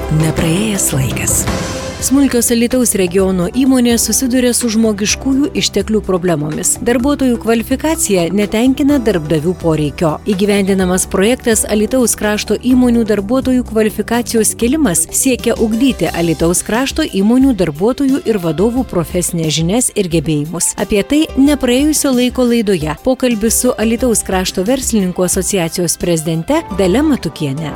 Nepraėjęs laikas. Smulkios Alytaus regiono įmonės susiduria su žmogiškųjų išteklių problemomis. Darbuotojų kvalifikacija netenkina darbdavių poreikio. Įgyvendinamas projektas Alytaus krašto įmonių darbuotojų kvalifikacijos kėlimas siekia ugdyti Alytaus krašto įmonių darbuotojų ir vadovų profesinės žinias ir gebėjimus. Apie tai nepraėjusio laiko laidoje pokalbis su Alytaus krašto verslininkų asociacijos prezidente Dalia Matukiene.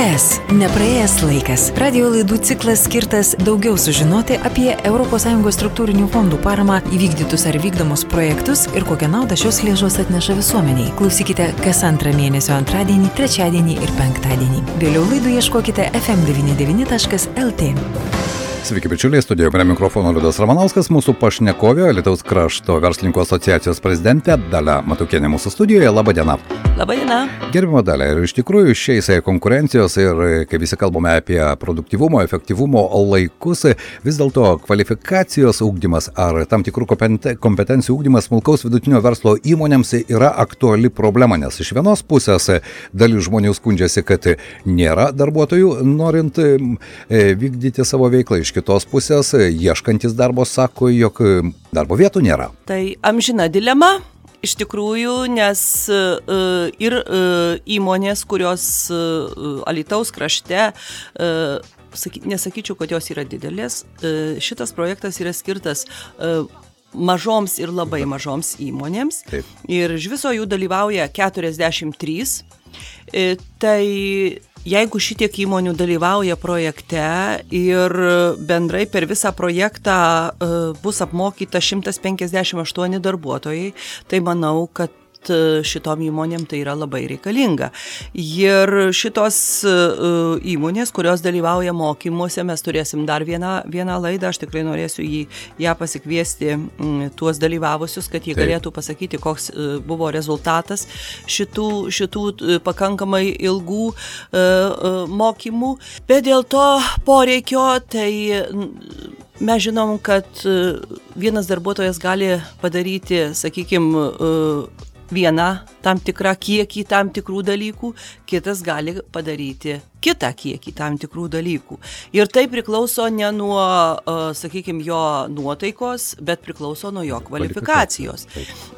Nepraėjęs laikas. Radio laidų ciklas skirtas daugiau sužinoti apie ES struktūrinių fondų paramą įvykdytus ar vykdomus projektus ir kokią naudą šios lėšos atneša visuomeniai. Klausykite kas antrą mėnesio antradienį, trečiadienį ir penktadienį. Vėliau laidų ieškokite fm99.lt. Sveiki, bičiuliai, studijoje prie mikrofono Liudas Ramanauskas, mūsų pašnekovė, Alytaus krašto verslininkų asociacijos prezidentė Dalia Matukienė mūsų studijoje. Labą dieną. Labą dieną. Gerbimo Dalia, ir iš tikrųjų šiais konkurencijos ir kai visi kalbame apie produktyvumo, efektyvumo laikus, vis dėlto kvalifikacijos ugdymas ar tam tikrų kompetencijų ugdymas smulkaus vidutinio verslo įmonėms yra aktuali problema, nes iš vienos pusės dalis žmonių skundžiasi, kad nėra darbuotojų norint vykdyti savo veiklą. Iš kitos pusės, ieškantis darbo sako, jog darbo vietų nėra. Tai amžina dilema, iš tikrųjų, nes ir įmonės, kurios Alytaus krašte, nesakyčiau, kad jos yra didelės, šitas projektas yra skirtas mažoms ir labai mažoms įmonėms. Taip. Ir iš viso jų dalyvauja 43. Tai jeigu šitiek įmonių dalyvauja projekte ir bendrai per visą projektą bus apmokyta 158 darbuotojai, tai manau, kad šitom įmonėm tai yra labai reikalinga. Ir šitos įmonės, kurios dalyvauja mokymuose, mes turėsim dar vieną laidą, aš tikrai norėsiu ją pasikviesti tuos dalyvavusius, kad jie galėtų pasakyti, koks buvo rezultatas šitų pakankamai ilgų mokymų. Bet dėl to poreikio, tai mes žinom, kad vienas darbuotojas gali padaryti, sakykime, vieną tam tikrą kiekį tam tikrų dalykų, kitas gali padaryti kitą kiekį tam tikrų dalykų. Ir tai priklauso ne nuo, sakykime, jo nuotaikos, bet priklauso nuo jo kvalifikacijos.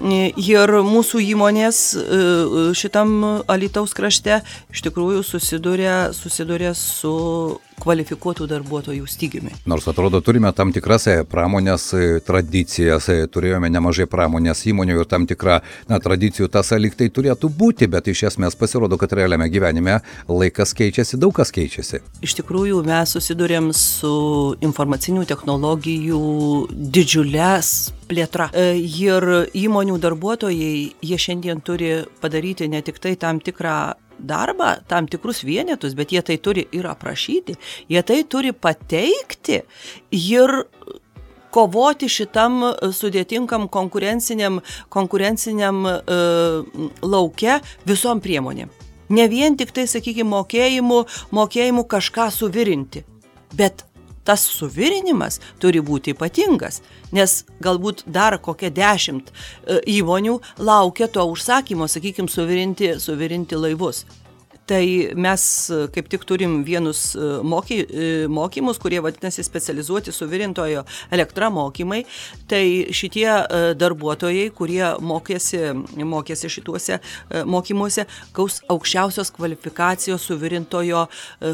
Ir mūsų įmonės šitam Alytaus krašte iš tikrųjų susiduria su kvalifikuotų darbuotojų stygiumi. Nors atrodo, turime tam tikras pramonės tradicijas, turėjome nemažai pramonės įmonių ir tam tikrą tradicijų tąsa lyg tai turėtų būti, bet iš esmės pasirodo, kad realiame gyvenime laikas keičiasi, daug kas keičiasi. Iš tikrųjų, mes susidurėm su informacinių technologijų didžiulės plėtra. Ir įmonių darbuotojai, jie šiandien turi padaryti ne tik tai tam tikrą darbą, tam tikrus vienetus, bet jie tai turi ir aprašyti, jie tai turi pateikti ir kovoti šitam sudėtingam konkurenciniam lauke visom priemonėm. Ne vien tik tai, sakykime, mokėjimu kažką suvirinti, bet tas suvirinimas turi būti ypatingas, nes galbūt dar kokia 10 įmonių laukia to užsakymo, sakykime, suvirinti laivus. Tai mes kaip tik turim vienus mokymus, kurie vadinasi specializuoti suvirintojo elektra mokymai. Tai šitie darbuotojai, kurie mokėsi šituose mokymuose, gaus aukščiausios kvalifikacijos suvirintojo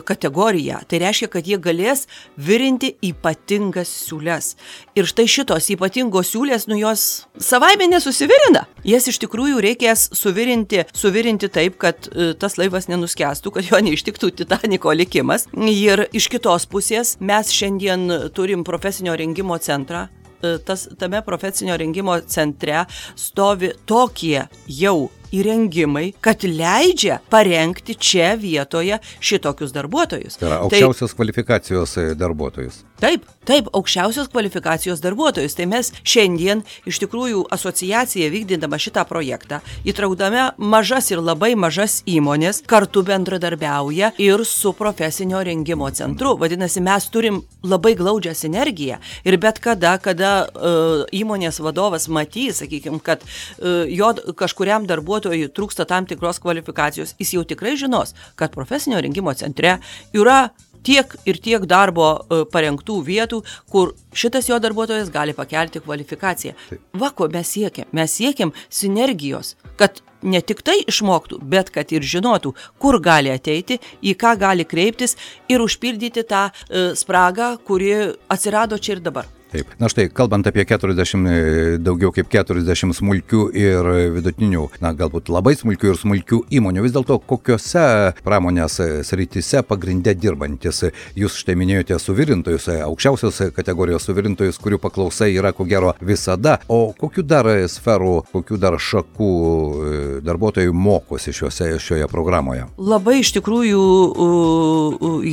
kategoriją. Tai reiškia, kad jie galės virinti ypatingas siūles. Ir štai šitos ypatingos siūlės, jos savaime nesusivirina. Jas iš tikrųjų reikės suvirinti taip, kad tas laivas nenuskęstų, kad jo neištiktų Titaniko likimas. Ir iš kitos pusės mes šiandien turim profesinio rengimo centrą. Tame profesinio rengimo centre stovi tokie jau įrengimai, kad leidžia parengti čia vietoje šitokius darbuotojus. Tai yra aukščiausios kvalifikacijos darbuotojus. Taip, aukščiausios kvalifikacijos darbuotojus. Tai mes šiandien iš tikrųjų asociacija vykdydama šitą projektą, įtraukdami mažas ir labai mažas įmonės, kartu bendradarbiauja ir su profesinio rengimo centru. Vadinasi, mes turim labai glaudžią sinergiją ir bet kada įmonės vadovas matys, sakykime, kad jo kažkuriam darbuotojui trūksta tam tikros kvalifikacijos, jis jau tikrai žinos, kad profesinio rengimo centre yra tiek ir tiek darbo parengtų vietų, kur šitas jo darbuotojas gali pakelti kvalifikaciją. Va, ko mes siekiam. Mes siekiam sinergijos, kad ne tik tai išmoktų, bet kad ir žinotų, kur gali ateiti, į ką gali kreiptis ir užpildyti tą spragą, kuri atsirado čia ir dabar. Taip. Na štai, kalbant apie 40, daugiau kaip 40 smulkių ir vidutinių, na galbūt labai smulkių ir smulkių įmonių, vis dėlto kokiose pramonės srityse pagrinde dirbantis? Jūs štai minėjote suvirintojus, aukščiausios kategorijos suvirintojus, kurių paklausa yra ko gero visada. O kokių dar sferų, kokių dar šakų darbuotojų mokosi šioje programoje? Labai iš tikrųjų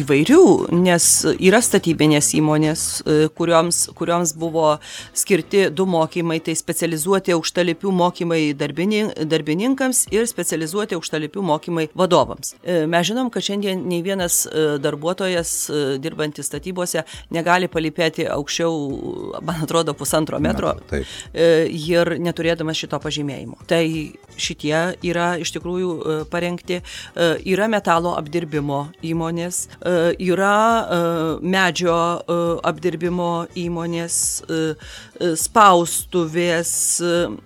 įvairių, nes yra statybinės įmonės, kurioms buvo skirti 2 mokymai, tai specializuoti aukštalipių mokymai darbininkams ir specializuoti aukštalipių mokymai vadovams. Mes žinom, kad šiandien nei vienas darbuotojas dirbantis statybose negali palipėti aukščiau, man atrodo, 1,5 metro ir neturėdamas šito pažymėjimo. Tai šitie yra iš tikrųjų parengti. Yra metalo apdirbimo įmonės, yra medžio apdirbimo įmonės, spaustuvės,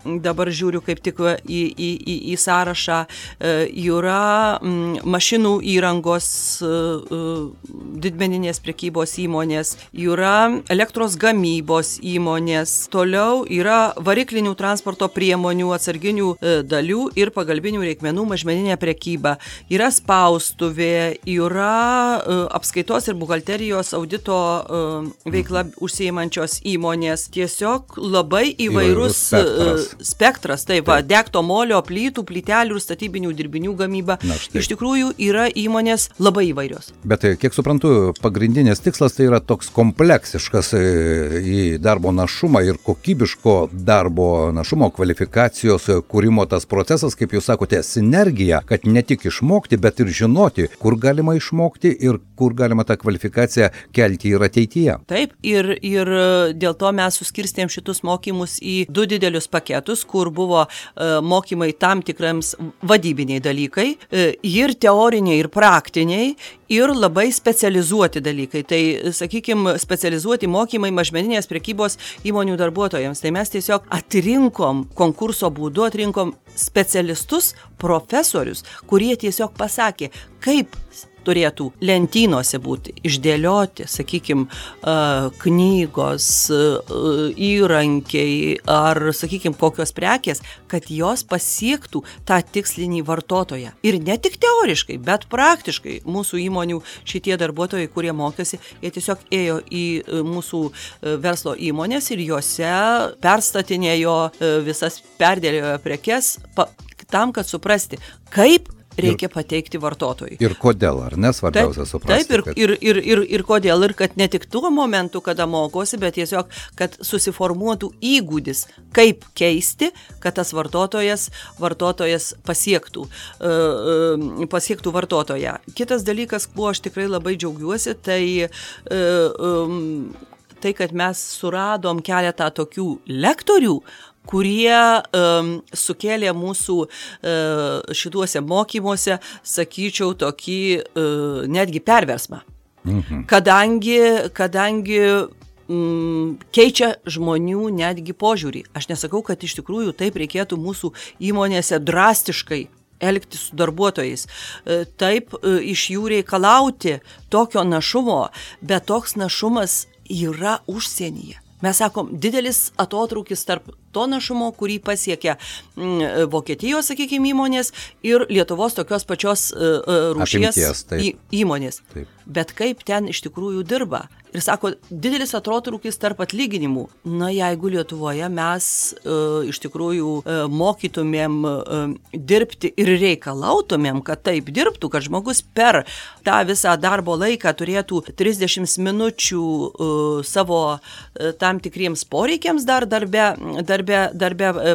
dabar žiūriu kaip tik į sąrašą, yra mašinų įrangos didmeninės prekybos įmonės, yra elektros gamybos įmonės, toliau yra variklinių transporto priemonių, atsarginių dalių ir pagalbinių reikmenų mažmeninė prekyba, yra spaustuvė, yra apskaitos ir buhalterijos audito veikla užsiimančios įmonės, tiesiog labai įvairus spektras, taip, degto molio, plytų, plytelių ir statybinių dirbinių gamyba. Iš tikrųjų yra įmonės labai įvairios. Bet kiek suprantu, pagrindinės tikslas tai yra toks kompleksiškas į darbo našumą ir kokybiško darbo našumo kvalifikacijos kūrimo tas procesas, kaip jūs sakote, sinergija, kad ne tik išmokti, bet ir žinoti, kur galima išmokti ir kur galima tą kvalifikaciją kelti ir ateityje. Taip, ir dėl to mes suskirstėm šitus mokymus į 2 didelius paketus, kur buvo mokymai tam tikrams vadybiniai dalykai, ir teoriniai, ir praktiniai, ir labai specializuoti dalykai. Tai, sakykime, specializuoti mokymai mažmeninės prekybos įmonių darbuotojams. Tai mes tiesiog atrinkom, konkurso būdu atrinkom specialistus, profesorius, kurie tiesiog pasakė, kaip turėtų lentynose būti išdėlioti, sakykime, knygos, įrankiai ar, sakykime, kokios prekės, kad jos pasiektų tą tikslinį vartotoją. Ir ne tik teoriškai, bet praktiškai mūsų įmonių šitie darbuotojai, kurie mokėsi, jie tiesiog ėjo į mūsų verslo įmonės ir juose perstatinėjo visas, perdėliojo prekes tam, kad suprasti, kaip reikia pateikti vartotojui. Ir kodėl, ar ne, svarbiausia suprasti? Taip, ir kodėl, ir kad ne tik tuo momentu, kada mokosi, bet tiesiog, kad susiformuotų įgūdis, kaip keisti, kad tas vartotojas pasiektų vartotoją. Kitas dalykas, kuo aš tikrai labai džiaugiuosi, tai kad mes suradom keletą tokių lektorių, kurie sukėlė mūsų šituose mokymuose, sakyčiau, tokį netgi perversmą. Kadangi keičia žmonių netgi požiūrį. Aš nesakau, kad iš tikrųjų taip reikėtų mūsų įmonėse drastiškai elgtis su darbuotojais, taip iš jų reikalauti tokio našumo, bet toks našumas yra užsienyje. Mes sakom, didelis atotrūkis tarp to našumo, kurį pasiekia Vokietijos, sakykime, įmonės ir Lietuvos tokios pačios rūšies įmonės. Taip. Bet kaip ten iš tikrųjų dirba? Ir sako, didelis atotrūkis tarp atlyginimų. Na, jeigu Lietuvoje mes iš tikrųjų mokytumėm dirbti ir reikalautumėm, kad taip dirbtų, kad žmogus per tą visą darbo laiką turėtų 30 minučių savo tam tikriems poreikiams dar darbe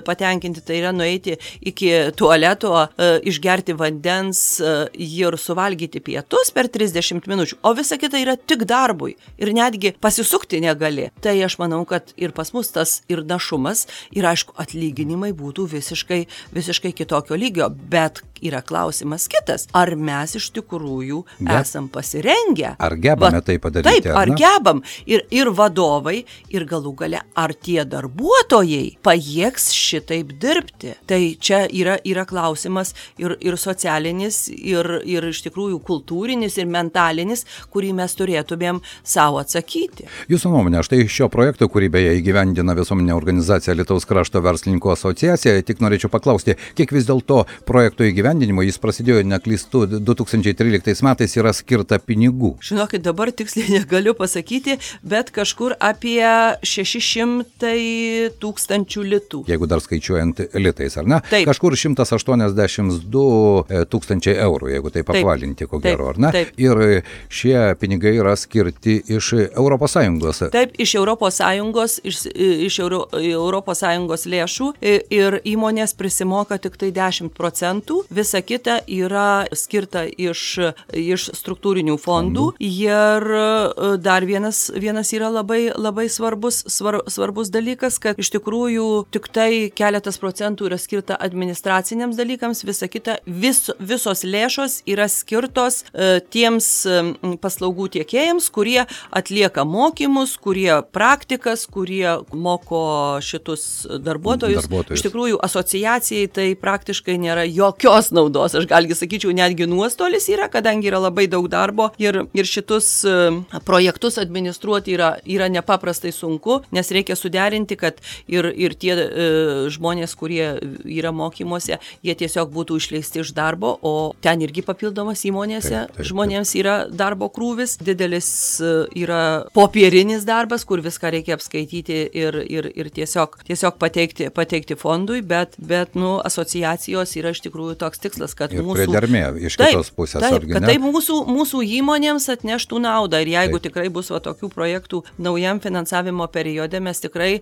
patenkinti, tai yra nueiti iki tualeto, išgerti vandens ir suvalgyti pietus per 30 minučių, o visa kita yra tik darbui. Ir netgi pasisukti negali. Tai aš manau, kad ir pas mus tas ir našumas, ir aišku, atlyginimai būtų visiškai kitokio lygio. Bet yra klausimas kitas. Ar mes iš tikrųjų esam pasirengę? Ar gebame tai padaryti? Taip, ar gebam? Ir vadovai, ir galų gale, ar tie darbuotojai pajėgs šitaip dirbti? Tai čia yra klausimas ir socialinis, ir iš tikrųjų kultūrinis, ir mentalinis, kurį mes turėtumėm savo atsakyti. Jūsų nuomonė, štai šio projekto, kurį beje įgyvendina visuomeninė organizacija Alytaus krašto verslininkų asociacija, tik norėčiau paklausti, kiek vis dėlto projekto įgyvendinimo, jis prasidėjo, neklystu, 2013 metais, yra skirta pinigų? Žinokit, dabar tiksliai negaliu pasakyti, bet kažkur apie 600 tūkstančių litų. Jeigu dar skaičiuojant litais, ar ne? Taip. Kažkur 182 tūkstančiai eurų, jeigu tai apvalinti, ko gero, ar ne? Taip. Ir šie pinigai yra skirti iš ES. Taip, iš ES lėšų ir įmonės prisimoka tik tai 10%, visa kita yra skirta iš struktūrinių fondų ir dar vienas yra labai svarbus dalykas, kad iš tikrųjų tik tai keletas procentų yra skirta administraciniams dalykams, visa kita, visos lėšos yra skirtos tiems paslaugų tiekėjams, kurie atlieka mokymus, kurie praktikas, kurie moko šitus darbuotojus. Iš tikrųjų, asociacijai tai praktiškai nėra jokios naudos. Aš galgi sakyčiau, netgi nuostolis yra, kadangi yra labai daug darbo ir šitus projektus administruoti yra nepaprastai sunku, nes reikia suderinti, kad ir tie žmonės, kurie yra mokymuose, jie tiesiog būtų išleisti iš darbo, o ten irgi papildomas įmonėse žmonėms yra darbo krūvis, didelis yra popierinis darbas, kur viską reikia apskaityti ir tiesiog pateikti fondui, bet asociacijos yra iš tikrųjų toks tikslas, kad ir priedermė iš kitos pusės. Kad tai mūsų įmonėms atneštų naudą ir jeigu tikrai bus tokių projektų naujam finansavimo periode, mes tikrai,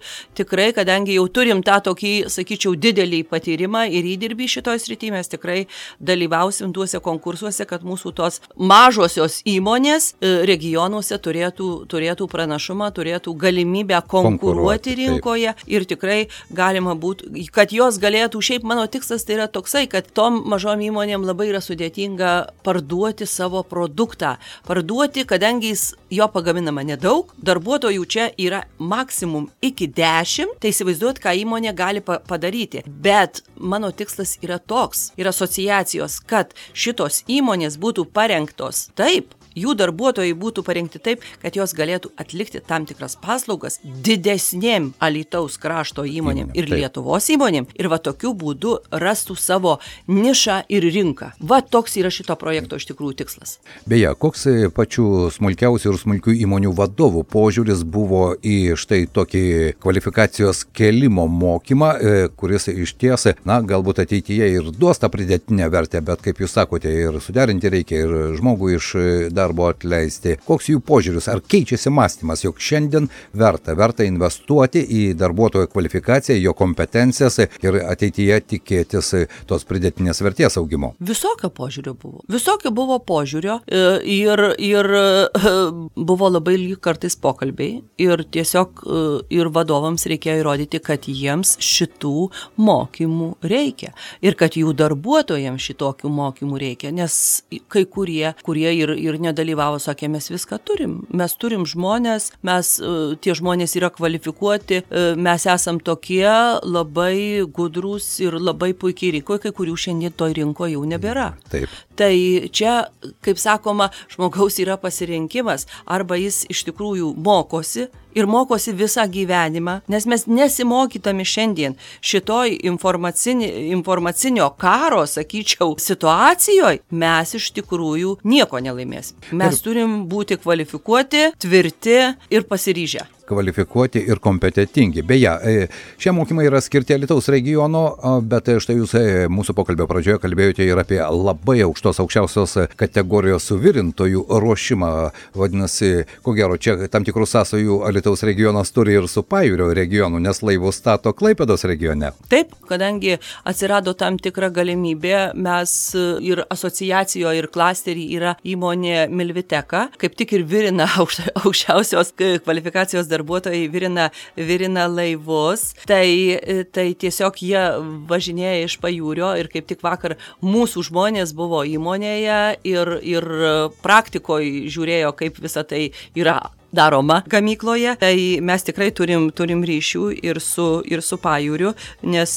kadangi jau turim tą tokį, sakyčiau, didelį patyrimą ir įdirbį šitoj srityje, mes tikrai dalyvausim tuose konkursuose, kad mūsų tos mažosios įmonės regionuose turėtų pranašumą, turėtų galimybę konkuruoti rinkoje ir tikrai galima būtų, kad jos galėtų, šiaip mano tikslas tai yra toksai, kad tom mažom įmonėm labai yra sudėtinga parduoti savo produktą. Kadangi jo pagaminama nedaug, darbuotojų čia yra maksimum iki 10, tai įsivaizduot, ką įmonė gali padaryti. Bet mano tikslas yra toks, ir asociacijos, kad šitos įmonės būtų parengtos taip, jų darbuotojai būtų parengti taip, kad jos galėtų atlikti tam tikras paslaugas didesnėm Alytaus krašto įmonėm ir Lietuvos įmonėm ir tokiu būdu rastų savo nišą ir rinką. Toks yra šito projekto iš tikrųjų tikslas. Beje, koks pačių smulkiausių ir smulkių įmonių vadovų požiūris buvo į štai tokį kvalifikacijos kėlimo mokymą, kuris iš ties, galbūt ateityje ir duos tą pridėtinę vertę, bet kaip jūs sakote, ir suderinti reikia, ir žmogų iš darbo atleisti. Koks jų požiūris? Ar keičiasi mąstymas, jog šiandien verta investuoti į darbuotojo kvalifikaciją, jo kompetencijas ir ateityje tikėtis tos pridėtinės vertės augimo? Visokio buvo požiūrio ir buvo labai ilgi kartais pokalbiai ir tiesiog ir vadovams reikėjo įrodyti, kad jiems šitų mokymų reikia ir kad jų darbuotojams šitokių mokymų reikia, nes kai kurie ir nedalyvavo, sakė, mes viską turim. Mes turim žmonės, tie žmonės yra kvalifikuoti, mes esam tokie labai gudrūs ir labai puikiai rinkoje, kai kurių šiandien toj rinkoje jau nebėra. Taip. Tai čia, kaip sakoma, žmogaus yra pasirinkimas, arba jis iš tikrųjų mokosi ir mokosi visą gyvenimą, nes mes nesimokytami šiandien šitoj informacinio karo, sakyčiau, situacijoje, mes iš tikrųjų nieko nelaimėsim. Mes turim būti kvalifikuoti, tvirti ir pasiryžę. Kvalifikuoti ir kompetentingi. Beje, šie mokymai yra skirti Alytaus regiono, bet štai jūs mūsų pokalbio pradžioje kalbėjote ir apie labai aukščiausios kategorijos suvirintojų ruošimą. Vadinasi, ko gero, čia tam tikrų sąsajų Alytaus regionas turi ir su Pajūrio regionu, nes laivus stato Klaipėdos regione. Taip, kadangi atsirado tam tikra galimybė, mes ir asociacijoje, ir klasterį yra įmonė Milviteka, kaip tik ir virina aukščiausios kvalifikacijos darbuotojai virina laivus, tai tiesiog jie važinėja iš pajūrio ir kaip tik vakar mūsų žmonės buvo įmonėje ir praktikoje žiūrėjo, kaip visa tai yra daroma gamykloje, tai mes tikrai turim ryšių ir su pajūriu, nes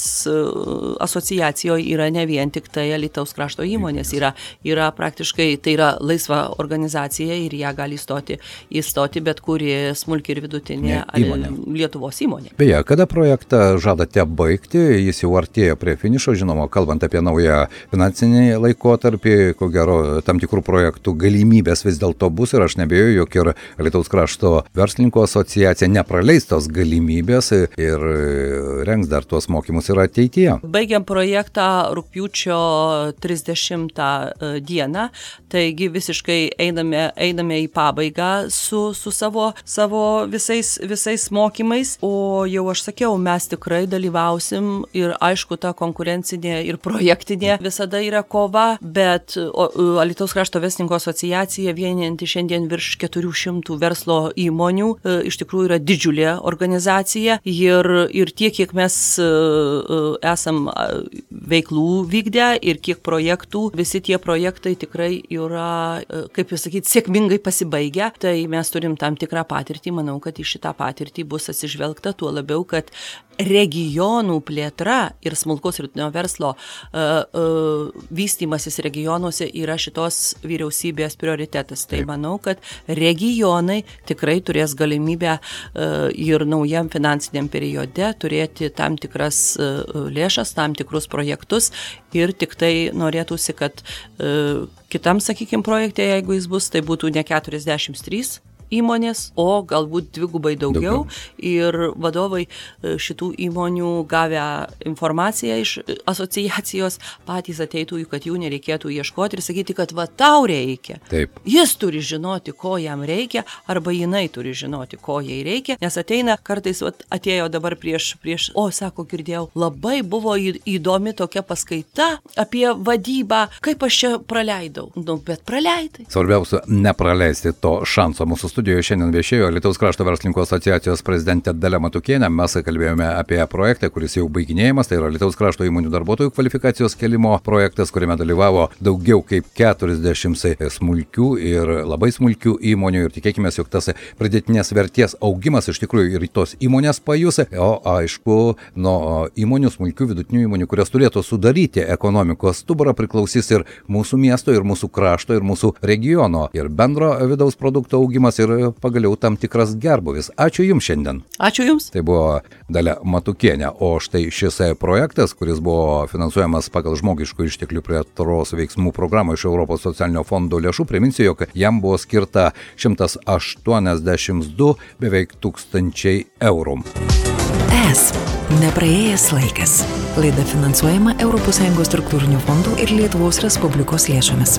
asociacijoje yra ne vien tik tai Alytaus krašto įmonės, yra praktiškai, tai yra laisva organizacija ir ją gali įstoti bet kuri smulki ir vidutinė Lietuvos įmonė. Beje, kada projektą žadate baigti, jis jau artėja prie finišo, žinoma, kalbant apie naują finansinį laikotarpį, ko gero tam tikrų projektų galimybės vis dėlto bus ir aš nebejoju, jog ir Alytaus krašto verslininkų asociacija nepraleis tos galimybės ir rengs dar tuos mokymus ir ateityje. Baigiam projektą rugpjūčio 30 dieną, taigi visiškai einame į pabaigą su savo visais mokymais, o jau aš sakiau, mes tikrai dalyvausim ir aišku, ta konkurencinė ir projektinė visada yra kova, bet Alytaus krašto verslininkų asociacija vienijanti šiandien virš 400 verslo įmonių, iš tikrųjų yra didžiulė organizacija ir tiek, kiek mes esam veiklų vykdę ir kiek projektų, visi tie projektai tikrai yra, kaip jūs sakyti, sėkmingai pasibaigę, tai mes turim tam tikrą patirtį, manau, kad į šitą patirtį bus atsižvelgta, tuo labiau, kad regionų plėtra ir smulkaus ir vidutinio verslo vystymasis regionuose yra šitos vyriausybės prioritetas. Tai manau, kad regionai tikrai turės galimybę ir naujam finansiniam periode turėti tam tikras lėšas, tam tikrus projektus ir tik tai norėtųsi, kad kitam, sakykime, projekte, jeigu jis bus, tai būtų ne 43 įmonės, o galbūt dvigubai daugiau. Ir vadovai šitų įmonių gavę informaciją iš asociacijos patys ateitų, kad jų nereikėtų ieškoti ir sakyti, kad va tau reikia. Taip. Jis turi žinoti, ko jam reikia, arba jinai turi žinoti, ko jai reikia, nes ateina kartais, atėjo dabar prieš, sako, girdėjau, labai buvo įdomi tokia paskaita apie vadybą, kaip aš čia praleidau. Bet praleidai. Svarbiausia, nepraleisti to šanso. Mūsų studijoje šiandien viešėjo Alytaus krašto verslininkų asociacijos prezidentė Dalia Matukienė. Mes kalbėjome apie projektą, kuris jau baiginėjimas, tai yra Alytaus krašto įmonių darbuotojų kvalifikacijos kelimo projektas, kuriame dalyvavo daugiau kaip 40 smulkių ir labai smulkių įmonių ir tikėkime, jog tas pridėtinės vertės augimas iš tikrųjų ir tos įmonės pajus, o aišku, nuo įmonių, smulkių vidutinių įmonių, kurios turėtų sudaryti ekonomikos stuburą, priklausys ir mūsų miesto, ir mūsų krašto, ir mūsų regiono, ir bendro vidaus produkto augimas ir pagaliau tam tikras gerbūvis. Ačiū Jums šiandien. Ačiū Jums. Tai buvo Dalia Matukienė, o štai šis projektas, kuris buvo finansuojamas pagal žmogiškų išteklių plėtros veiksmų programą iš Europos socialinio fondo lėšų, priminsiu, jog jam buvo skirta 182 beveik 1000 eurų. Nepraėjęs laikas. Laida finansuojama ES struktūrinių fondų ir Lietuvos Respublikos lėšomis.